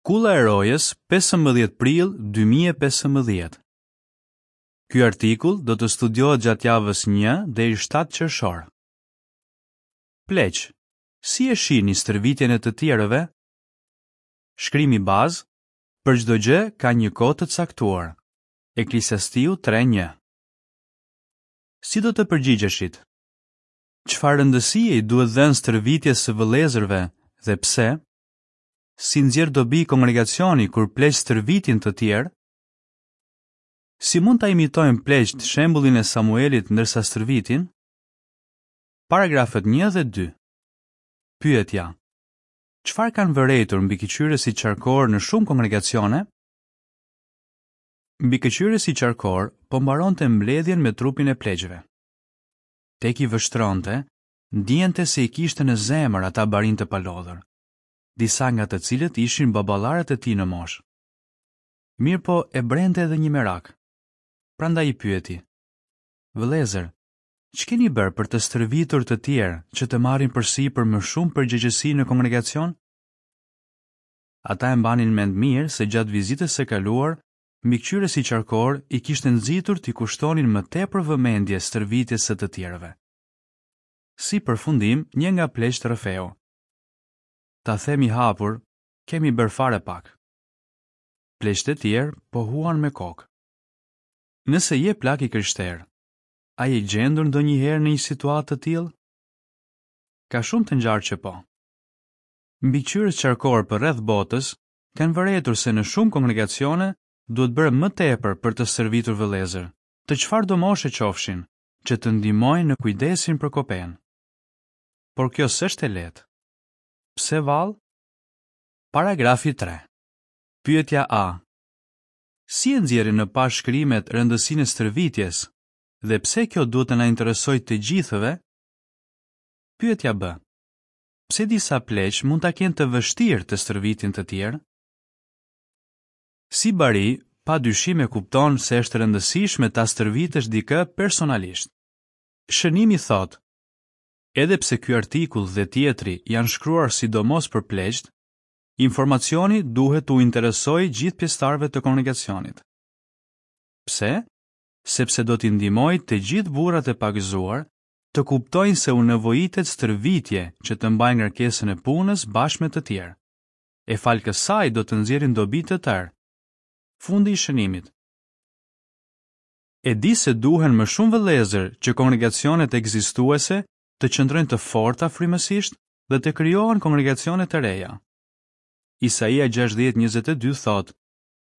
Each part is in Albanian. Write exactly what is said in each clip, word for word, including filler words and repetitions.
Kulla e Rojës, pesëmbëdhjetë prill dy mijë e pesëmbëdhjetë. Ky artikull do të studiohet gjatë javës një deri shtatë qershor. Pleq, si e shihni stërvitjen e të tjerëve? Shkrimi bazë, për çdo gjë ka një kohë të caktuar. Eklesiastiu tre një. Si do të përgjigjeshit? Çfarë rëndësie i duhet dhënë stërvitjes së vëllezërve dhe pse? Si nxjerr dobi kongregacioni kur pleq stërvitin të tjerë? Si mund ta imitojnë pleqtë shembullin e Samuelit ndërsa stërvitin? Paragrafët një dhe dy. Pyetja: Çfarë kanë vërejtur mbikëqyrësit qarkor në shumë kongregacione? Mbikëqyrësi qarkor po mbaronte mbledhjen me trupin e pleqve. Tek i vështronte, ndiente se i kishte në zemër ata barinj të palodhur, disa nga të cilët ishin baballarët e tij në moshë. Mirëpo e brente edhe një merak. Prandaj i pyeti: Vëllezër, ç'keni bërë për të stërvitur të tjerë që të marrin përsipër më shumë përgjegjësi në kongregacion? Ata e mbanin mend mirë se gjatë vizitës së kaluar, mbikëqyrësi qarkor i kishte nxitur t'i kushtonin më tepër vëmendje stërvitjes së të tjerëve. Si përfundim, një nga pleqtë rrëfeu: Ta themi hapur, kemi bërë fare pak. Pleqtë e tjerë pohuan me kokë. Nëse je plak i krishterë, a je gjendur ndonjëherë në një situatë të tillë? Ka shumë të ngjarë që po. Mbikëqyrës qarkor për rreth botës kanë vërejtur se në shumë kongregacione duhet bërë më tepër për të stërvitur vëllezër, të çfarëdo moshe qofshin, që të ndihmojnë në kujdesin për kopenë. Por kjo s'është e lehtë. Pse vallë? Paragrafi tre. Pyetja A. Si e nxjerrin në pah shkrimet rëndësinë e stërvitjes dhe pse kjo duhet të na interesojë të gjithëve? Pyetja B. Pse disa pleq mund ta kenë të vështirë të stërvitin të tjerë? Si bari, pa dyshim e kupton se është e rëndësishme ta stërvitësh dikë personalisht. Shënimi thotë: Edhe pse ky artikull dhe tjetri janë shkruar sidomos për pleqt, informacioni duhet t'u interesojë gjithë pjesëtarëve të kongregacionit. Pse? Sepse do t'i ndihmojë të gjithë burrat e pagëzuar të kuptojnë se u nevojitet stërvitje që të mbajnë ngarkesën e punës bashkë me të tjerë. E fal kësaj do të nxjerrin dobi të tërë. Fundi i shënimit. E di se duhen më shumë vëllezër që kongregacionet ekzistuese të qëndrojnë të forta frymësisht dhe të krijohen kongregacione të reja. Isaia gjashtëdhjetë njëzet e dy thotë: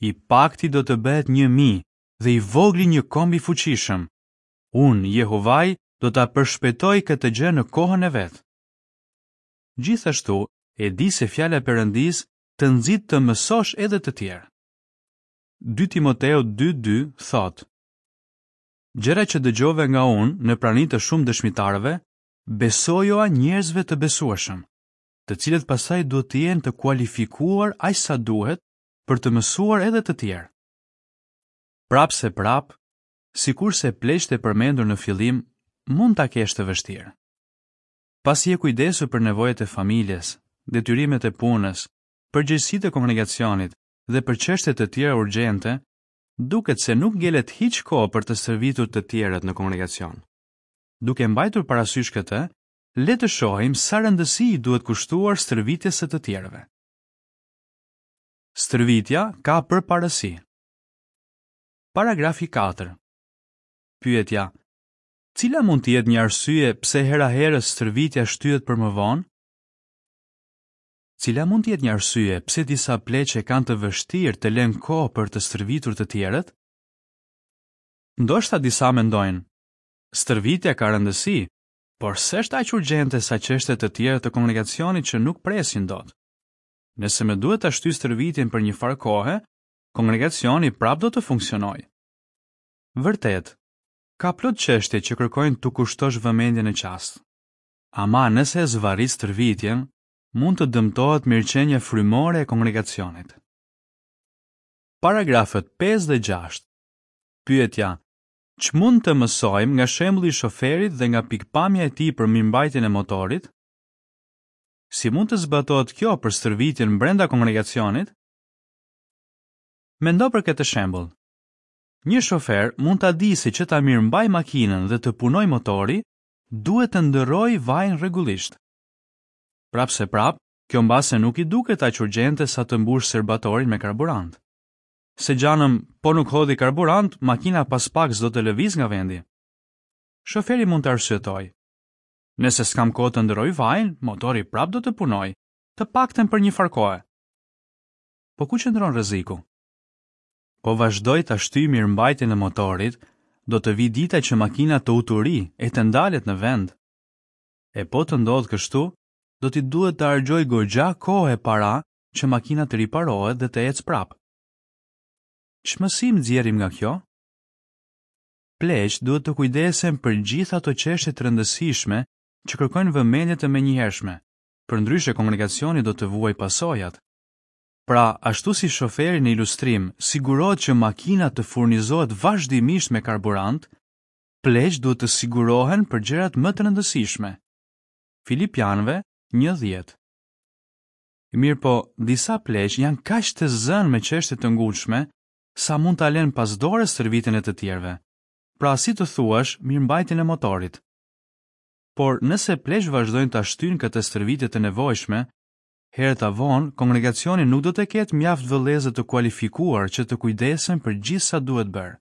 I pakti do të bëhet një mijë dhe i vogli një komb i fuqishëm. Unë, Jehovai, do ta përshpejtoj këtë gjë në kohën e vet. Gjithashtu, e di se fjala e Perëndisë të nxit të mësosh edhe të tjerë. Dy Timoteu dy dy thotë: Gjëra që dëgjove nga unë në prani të shumë dëshmitarëve, besojoa njerëzve të besueshëm, të cilët pastaj duhet të jenë të kualifikuar aq sa duhet për të mësuar edhe të tjerë. Prapë se prapë, sikurse pleqtë e përmendur në fillim, mund ta kesh të vështirë. Pasi je kujdesur për nevojat e familjes, detyrimet e punës, përgjegjësitë e kongregacionit dhe për çështje të tjera urgjente, duket se nuk ngelet hiç kohë për të stërvitur të tjerët në kongregacion. Duke mbajtur parasysh këtë, le të shohim sa rëndësi i duhet kushtuar stërvitjes së të tjerëve. Stërvitja ka përparësi. Paragrafi katër. Pyetja: Cila mund të jetë një arsye pse hera herës stërvitja shtyhet për më vonë? Cila mund të jetë një arsye pse disa pleqe kanë të vështirë të lënë kohë për të stërvitur të tjerët? Ndoshta disa mendojnë: stërvitja ka rëndësi, por s'është aq urgjente sa çështje të tjera të kongregacionit që nuk presin dot. Nëse më duhet ta shtyj stërvitjen për një farë kohe, kongregacioni prapë do të funksionojë. Vërtet, ka plot çështje që kërkojnë t'u kushtosh vëmendje në çast. Ama nëse e zvarrit stërvitjen, mund të dëmtohet mirëqenia frymore e kongregacionit. Paragrafët pesë dhe gjashtë. Pyetja: Ç'mund të mësojmë nga shembulli i shoferit dhe nga pikpamja e tij për mirëmbajtjen e motorit? Si mund të zbatohet kjo për stërvitjen brenda kongregacionit? Mendo për këtë shembull. Një shofer mund ta dijë se që ta mirëmbajë makinën dhe të punojë motori, duhet të ndërrojë vajin rregullisht. Prapëseprapë, kjo mbase nuk i duket aq urgjente sa të mbushë serbatorin me karburant. Se gjanëm, po nuk hodhi karburant, makina pas pak s'do të lëvizë nga vendi. Shoferi mund të arsyetojë. Nëse s'kam kohë të ndërroj vajin, motori prapë do të punojë, të paktën për një farë kohe. Po ku qëndron rreziku? Po vazhdoi ta shtyj mirëmbajtjen e motorit, do të vijë dita që makina të uturi e të ndalet në vend. E po të ndodhë kështu, do t'i duhet të harxhojë goxha kohë e para që makina të riparohet dhe të ecë prapë. Ç'mësim nxjerrim nga kjo? Pleqtë duhet të kujdesen për gjithë ato çështje të rëndësishme që kërkojnë vëmendje të menjëhershme, përndryshe kongregacioni do të vuajë pasojat. Pra, ashtu si shoferi në ilustrim sigurohet që makina të furnizohet vazhdimisht me karburant, pleqtë duhet të sigurohen për gjërat më të rëndësishme. Filipianëve një dhjetë. Mirëpo, disa pleq janë kaq të zënë me çështje të ngutshme sa mund ta lënë pas dore stërvitjen e të tjerëve. Pra, si të thuash, mirëmbajtjen e motorit. Por, nëse pleqtë vazhdojnë ta shtyjnë këtë stërvitje të nevojshme, herët a vonë, kongregacioni nuk do të ketë mjaft vëllezër të kualifikuar që të kujdesen për gjithë sa duhet bërë.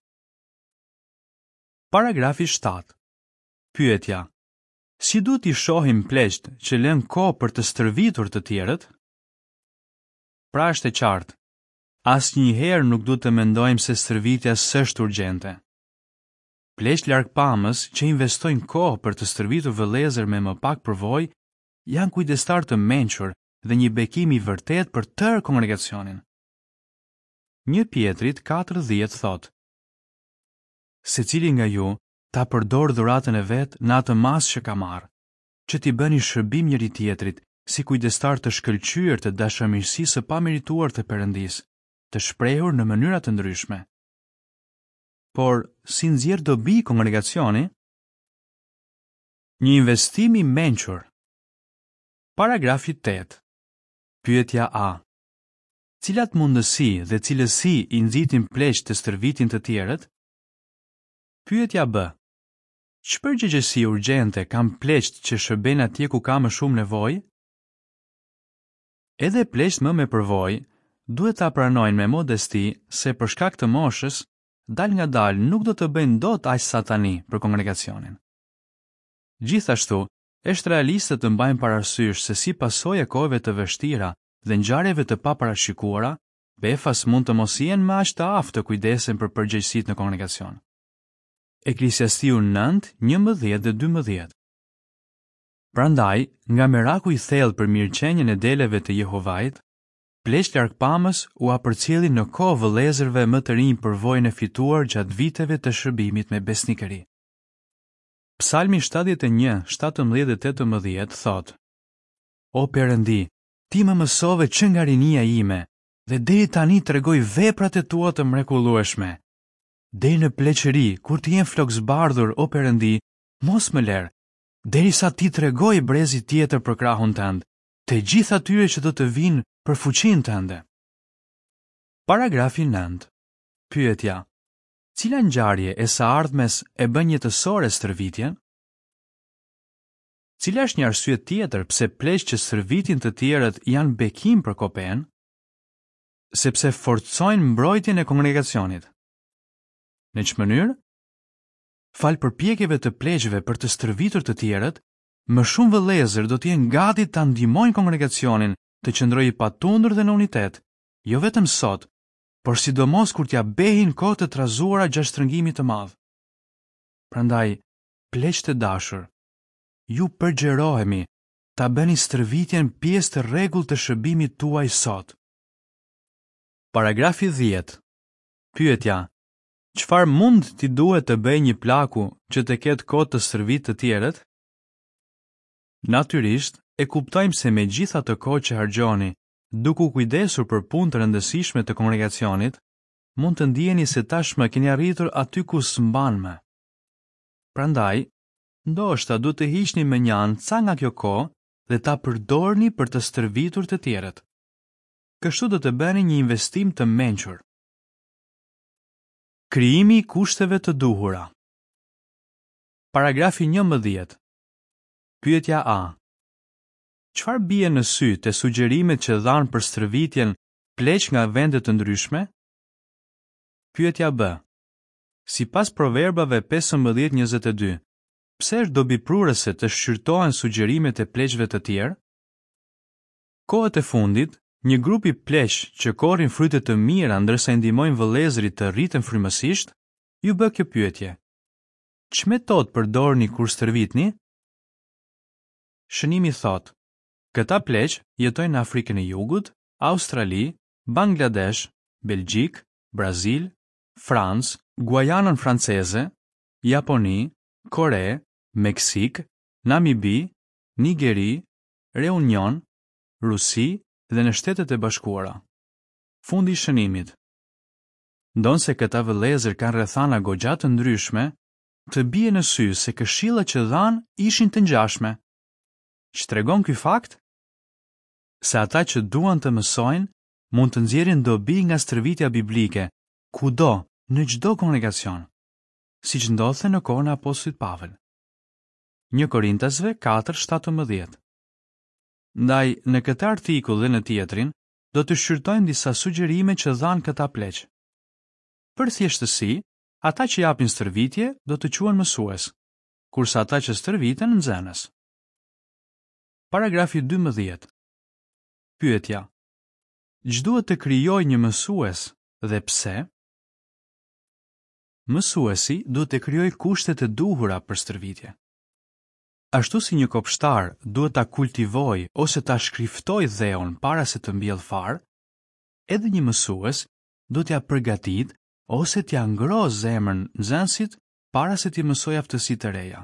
Paragrafi shtatë. Pyetja: Si duhet t'i shohim pleqtë që lënë kohë për të stërvitur të tjerët? Pra është e qartë. Asnjëherë nuk duhet të mendojmë se stërvitja s'është urgjente. Pleqtë largpamës që investojnë kohë për të stërvitur vëllezër me më pak përvojë janë kujdestar të mençur dhe një bekim i vërtet për tërë kongregacionin. Një Pjetrit katër dhjetë thotë: Secili nga ju ta përdor dhuratën e vet në atë masë që ka marrë, që t'i bëni shërbim njëri tjetrit si kujdestar të shkëlqyer të dashamirësisë së pamerituar të Perëndisë, të shprehur në mënyra të ndryshme. Por, si nxjerr dobi kongregacioni? Një investim i mençur. Paragrafi tetë. Pyetja A. Cilat mundësi dhe cilësi i nxitin pleqtë të stërvitin të tjerët? Pyetja B. Ç'përgjegjësi urgjente kanë pleqtë që shërbejnë atje ku ka më shumë nevojë? Edhe pleqtë më me përvojë duhet ta pranojnë me modesti se për shkak të moshës, dal nga dal nuk do të bëjnë dot aq sa tani për kongregacionin. Gjithashtu, është realiste të mbajmë parasysh se si pasojë e kohëve të vështira dhe ngjarjeve të paparashikuara, befas mund të mos jenë më aq të aftë të kujdesen për përgjegjësitë në kongregacion. Eklesiastiu nëntë, njëmbëdhjetë dhe dymbëdhjetë. Prandaj, nga meraku i thellë për mirëqenien e deleve të Jehovait, pleqtë largpamës ua përcjellin në kohë vëllezërve më të rinj përvojën e fituar gjatë viteve të shërbimit me besnikëri. Psalmi shtatëdhjetë e një, shtatëmbëdhjetë dhe tetëmbëdhjetë thotë: O Perëndi, ti më mësove që nga rinia ime dhe deri tani tregoj veprat e tua të mrekullueshme. Deri në pleqëri, kur të jem flokzbardhur, o Perëndi, mos më lër, derisa ti tregoj brezit tjetër për krahun tënd, të gjithë atyre që do të vinë për fuqinë tënde. Paragrafi nëntë. Pyetja: Cila ngjarje e së ardhmes e bën jetësore stërvitjen? Cila është një arsye tjetër pse pleqtë që stërvitin të tjerët janë bekim për kopen? Sepse forcojnë mbrojtjen e kongregacionit. Në ç'mënyrë? Fal përpjekjeve të pleqve për të stërvitur të tjerët, më shumë vëllezër do të jenë gati ta ndihmojnë kongregacionin të qëndrojë i patundur dhe në unitet, jo vetëm sot, por sidomos kur t'ia behin kohë të trazuara gjatë shtrëngimit të madh. Prandaj, pleq të dashur, ju përgjerohemi ta bëni stërvitjen pjesë të rregullt të shërbimit tuaj sot. Paragrafi dhjetë. Pyetja: Çfarë mund t'i duhet të bëjë një plaku që të ketë kohë të stërvit të tjerët? Natyrisht, e kuptojmë se me gjithë atë kohë që harxhoni, duke u kujdesur për punë të rëndësishme të kongregacionit, mund të ndiheni se tashmë keni arritur aty ku s'mban më. Prandaj, ndoshta duhet të hiqni më një anë ca nga kjo kohë dhe ta përdorni për të stërvitur të tjerët. Kështu do të bëni një investim të mençur. Krijimi i kushteve të duhura. Paragrafi njëmbëdhjetë. Pyetja A. Çfarë bie në sy te sugjerimet që dhanë për stërvitjen pleq nga vende të ndryshme? Pyetja B. Sipas Proverbave pesëmbëdhjetë njëzet e dy, pse është dobiprurëse të shqyrtohen sugjerimet e pleqve të tjerë? Kohët e fundit, një grup i pleq që korrin fryte të mira ndërsa i ndihmojnë vëllezërit të rriten frymësisht, ju bë kjo pyetje. Ç'metodë përdorni kur stërvitni? Shënimi thotë, këta pleq jetojnë në Afrikën e Jugut, Australi, Bangladesh, Belgjik, Brazil, Francë, Guajanën franceze, Japoni, Kore, Meksik, Namibi, Nigeri, Reunion, Rusi dhe në Shtetet e Bashkuara. Fundi i shënimit. Ndonëse këta vëllezër kanë rrethana goxha të ndryshme, të bie në sy se këshillat që dhanë ishin të ngjashme. Ç'tregon ky fakt? Se ata që duan të mësojnë mund të nxjerrin dobi nga stërvitja biblike, kudo, në çdo kongregacion, siç ndodhte në kohën e apostullit Pavel. Një Korintasve katër shtatëmbëdhjetë. Ndaj, në këtë artikull dhe në tjetrin, do të shqyrtojmë disa sugjerime që dhanë këta pleq. Për thjeshtësi, ata që japin stërvitje do të quhen mësues, kurse ata që stërviten nxënës. Paragrafi dymbëdhjetë. Pyetja: Ç'duhet të krijojë një mësues dhe pse? Mësuesi duhet të krijojë kushtet e duhura për stërvitje. Ashtu si një kopshtar duhet ta kultivojë ose ta shkriftojë dheun para se të mbjellë farë, edhe një mësues duhet t'ia përgatit ose t'ia ngrohë zemrën nxënësit para se t'i mësojë aftësi të reja.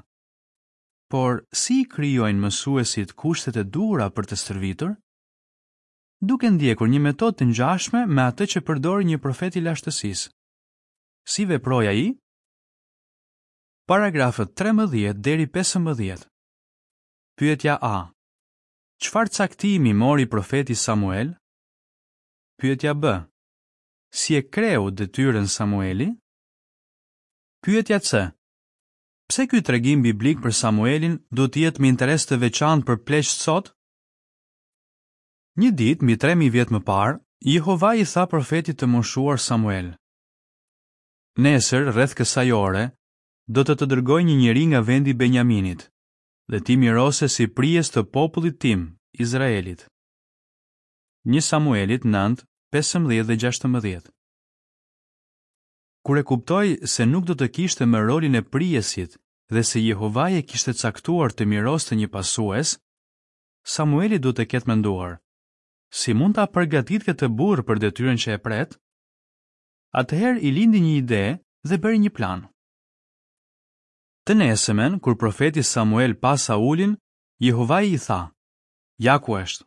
Por si i krijojnë mësuesit kushtet e duhura për të stërvitur? Duke ndjekur një metodë të ngjashme me atë që përdori një profet i lashtësisë. Si veproi ai? Paragrafët trembëdhjetë deri pesëmbëdhjetë. Pyetja A. Çfarë caktimi mori profeti Samuel? Pyetja B. Si e kreu detyrën Samueli? Pyetja C. Pse ky tregim biblik për Samuelin duhet të jetë me interes të veçantë për pleqtë sot? Një ditë, mbi tre mijë vjet më parë, Jehova i tha profetit të moshuar Samuel: Nesër, rreth kësaj ore, do të të dërgoj një njeri nga vendi i Benjaminit, dhe ti mirose si prijës të popullit tim, Izraelit. Një Samuelit nëntë, pesëmbëdhjetë dhe gjashtëmbëdhjetë. Kur e kuptoi se nuk do të kishte më rolin e prijësit dhe se Jehovai e kishte caktuar të miroste një pasues, Samueli duhet të ketë menduar: si mund ta përgatit këtë burrë për detyrën që e pret? Atëherë i lindi një ide dhe bëri një plan. Të nesërmen, kur profeti Samuel pa Saulin, Jehovai i tha: Ja ku është.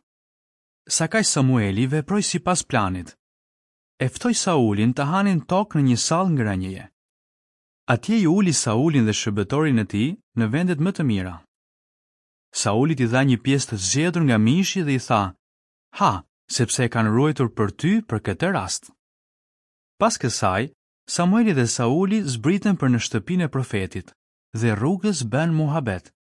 Sakaq Samueli veproi sipas planit. E ftoi Saulin të hanin tokë në një sallë ngrënjeje. Atje i uli Saulin dhe shërbëtorin e tij në vendet më të mira. Saulit i dha një pjesë të zgjedhur nga mishi dhe i tha: Ha, sepse e kanë ruajtur për ty për këtë rast. Pas kësaj, Samueli dhe Sauli zbritën për në shtëpinë e profetit dhe rrugës bën muhabet.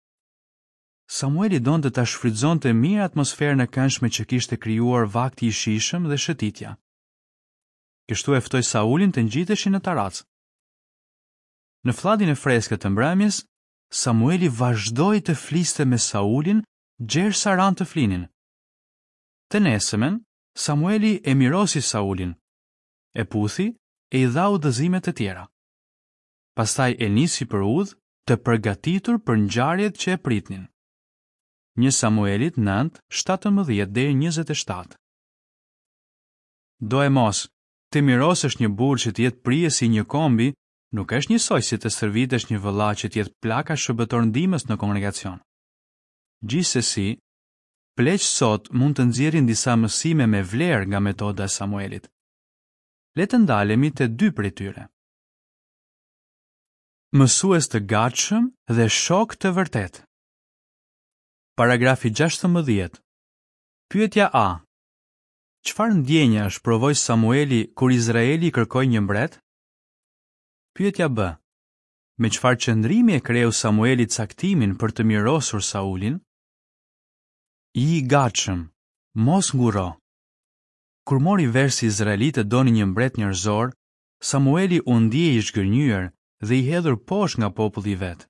Samueli donte ta shfrytëzonte mirë atmosferën e këndshme që kishte krijuar vakti i shijshëm dhe shëtitja. Kështu e ftoi Saulin të ngjiteshin në tarracë. Në flladin e freskët të mbrëmjes, Samueli vazhdoi të fliste me Saulin gjersa ranë të flinin. Të nesërmen, Samueli e mirosi Saulin, e puthi e i dha udhëzime të tjera. Pastaj e nisi për udhë, të përgatitur për ngjarjet që e pritnin. Një Samuelit nëntë, shtatëmbëdhjetë deri njëzet e shtatë. Doemos, të mirosësh një burrë që të jetë prijës i një kombi, nuk është njësoj si të stërvitesh një vëlla që të jetë plaka shërbëtor ndihmës në kongregacion. Gjithsesi, pleq sot mund të nxjerrin disa mësime me vlerë nga metoda e Samuelit. Le të ndalemi te dy prej tyre. Mësues të gatshëm dhe shok të vërtet. Paragrafi gjashtëmbëdhjetë. Pyetja A. Çfarë ndjenjash provoi Samueli kur Izraeli kërkoi një mbret? Pyetja B. Me çfarë qëndrimi e kreu Samueli caktimin për të mirosur Saulin? Ji i gatshëm, mos ngurro. Kur mori vesh se izraelitët donin një mbret njerëzor, Samueli u ndje i zhgënjyer dhe i hedhur poshtë nga populli i vet.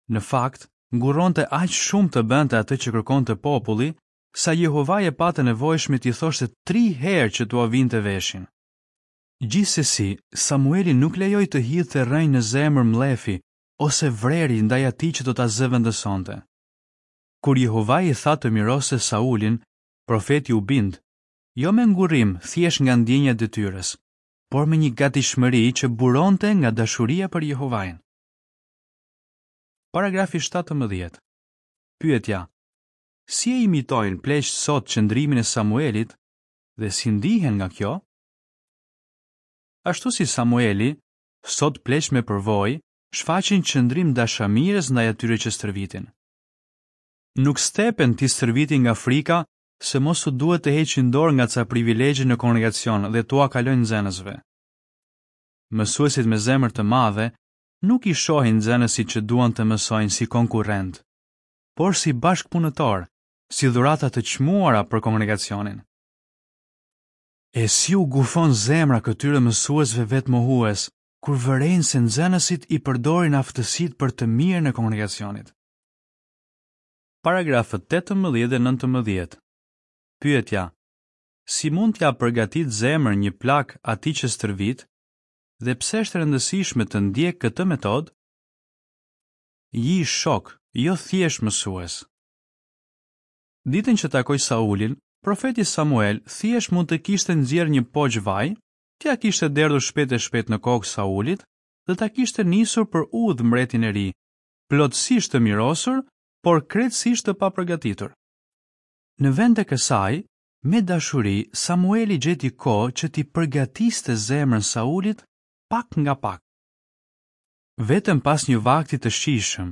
Në fakt, ngurronte aq shumë të bënte atë që kërkonte populli, sa Jehovai e pa të nevojshme t'i thoshte tri herë që t'ua vinte veshin. Gjithsesi, Samueli nuk lejoi të hidhte rrënjë në zemër mllefi ose vreri ndaj atij që do ta zëvendësonte. Kur Jehovai i tha të miroste Saulin, profeti u bind, jo me ngurrim, thjesht nga ndjenja e detyrës, por me një gatishmëri që buronte nga dashuria për Jehovain. Paragrafi shtatëmbëdhjetë. Pyetja: Si e imitojnë pleqtë sot qëndrimin e Samuelit dhe si ndihen nga kjo? Ashtu si Samueli, sot pleqtë me përvojë shfaqin qëndrim dashamirës ndaj atyre që stërvitin. Nuk stepen t'i stërvitin nga frika se mos u duhet të heqin dorë nga ca privilegje në kongregacion dhe t'ua kalojnë nxënësve. Mësuesit me zemër të madhe nuk i shohin nxënësit që duan të mësojnë si konkurrent, por si bashkëpunëtor, si dhurata të çmuara për kongregacionin. E si u gufon zemra këtyre mësuesve vetmohues, kur vërejnë se nxënësit i përdorin aftësitë për të mirën e kongregacionit. Paragrafët tetëmbëdhjetë dhe nëntëmbëdhjetë. Pyetja: Si mund t'ia përgatit zemrën një plak atij që stërvit dhe pse është e rëndësishme të ndjek këtë metodë? Ji shok, jo thjesht mësues. Ditën që takoi Saulin, profeti Samuel thjesht mund të kishte nxjerrë një poq vaj, t'ia kishte derdhur shpejt e shpejt në kokë Saulit dhe ta kishte nisur për udhë mbretin e ri, plotësisht të mirosur, por krejtësisht të papërgatitur. Në vend të kësaj, me dashuri, Samueli gjeti kohë që t'i përgatiste zemrën Saulit pak nga pak. Vetëm pas një vakti të shijshëm,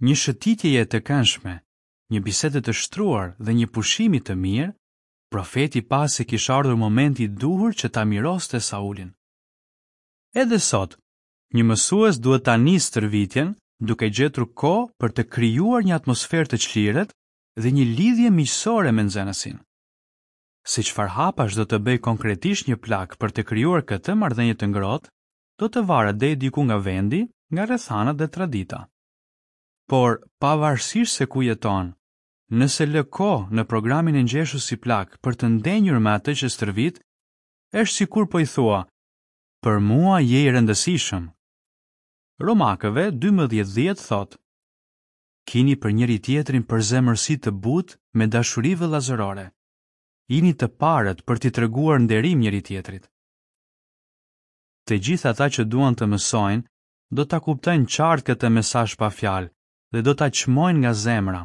një shëtitjeje të këndshme, një bisede të shtruar dhe një pushimi të mirë, profeti pa se kish ardhur momenti i duhur që ta miroste Saulin. Edhe sot, një mësues duhet ta nisë stërvitjen duke gjetur kohë për të krijuar një atmosferë të çlirët dhe një lidhje miqësore me nxënësin. Se çfarë hapash do të bëj konkretisht një plak për të krijuar këtë marrëdhënie të ngrohtë, do të varet deri diku nga vendi, nga rrethanat dhe tradita. Por, pavarësisht se ku jeton, nëse lë kohë në programin e ngjeshur si plak për të ndenjur me atë që stërvit, është sikur po i thua, për mua je i rëndësishëm. Romakëve dymbëdhjetë dhjetë thotë, kini për njëri tjetrin përzemërsi të butë me dashuri vëllazërore. Jini të parët për t'i treguar nderim njëri tjetrit. Të gjithë ata që duan të mësojnë, do ta kuptojnë qartë këtë mesazh pa fjalë dhe do ta çmojnë nga zemra.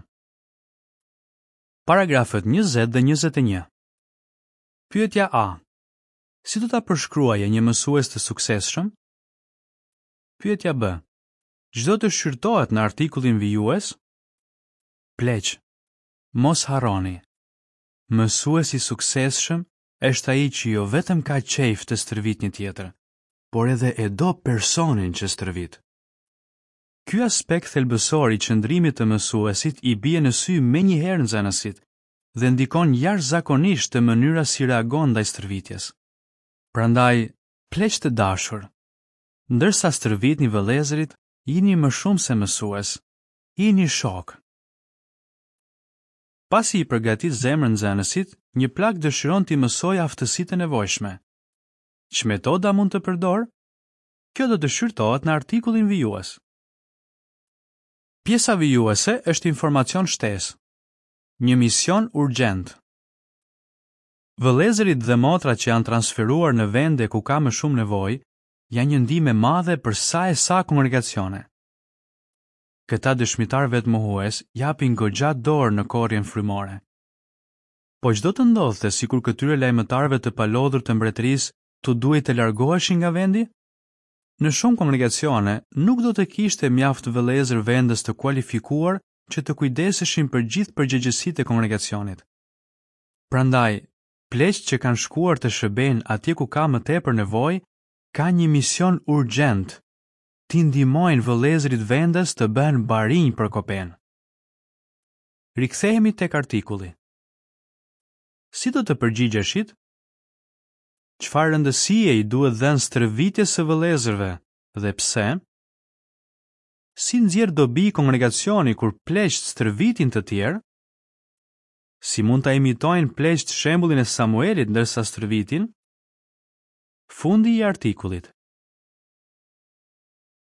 Paragrafët njëzet dhe njëzet e një. Pyetja A. Si do ta përshkruaje një mësues të suksesshëm? Pyetja B. Ç'do të shqyrtohet në artikullin vijues? Pleq, mos harroni. Mësuesi i suksesshëm është ai që jo vetëm ka qejf të stërvit një tjetër, por edhe e do personin që stërvit. Ky aspekt thelbësor i qëndrimit të mësuesit i bie në sy menjëherë nxënësit dhe ndikon jashtëzakonisht të mënyra si reagon ndaj stërvitjes. Prandaj, pleq të dashur, ndërsa stërvitni vëllezërit, jini më shumë se mësues, jini shok. Pasi i përgatit zemrën nxënësit, një plak dëshiron t'i mësojë aftësitë e nevojshme. Ç'metoda mund të përdor? Kjo do të shqyrtohet në artikullin vijues. Pjesa vijuese është informacion shtesë. Një mision urgjent. Vëllezërit dhe motrat që janë transferuar në vende ku ka më shumë nevojë, janë një ndihmë e madhe për sa e sa kongregacione. Këta dëshmitar vetmohues japin goxha dorë në korrjen frymore. Po ç'do të ndodhte sikur këtyre lajmëtarëve të palodhur të mbretërisë t'u duhej të largoheshin nga vendi? Në shumë kongregacione nuk do të kishte mjaft vëllezër vendës të kualifikuar që të kujdeseshin për gjithë përgjegjësitë e kongregacionit. Prandaj, pleqtë që kanë shkuar të shërbejnë atje ku ka më tepër nevojë, Kanë një mision urgjent, t'i ndihmojnë vëllezërit vendas të bëhen barinj për kopenë. Rikthehemi tek artikulli. Si do të përgjigjeshit? Çfarë rëndësie i duhet dhënë stërvitjes së vëllezërve dhe pse? Si nxjerr dobi kongregacioni kur pleqtë stërvitin të tjerë? Si mund ta imitojnë pleqtë shembullin e Samuelit ndërsa stërvitin? Fundi i artikullit.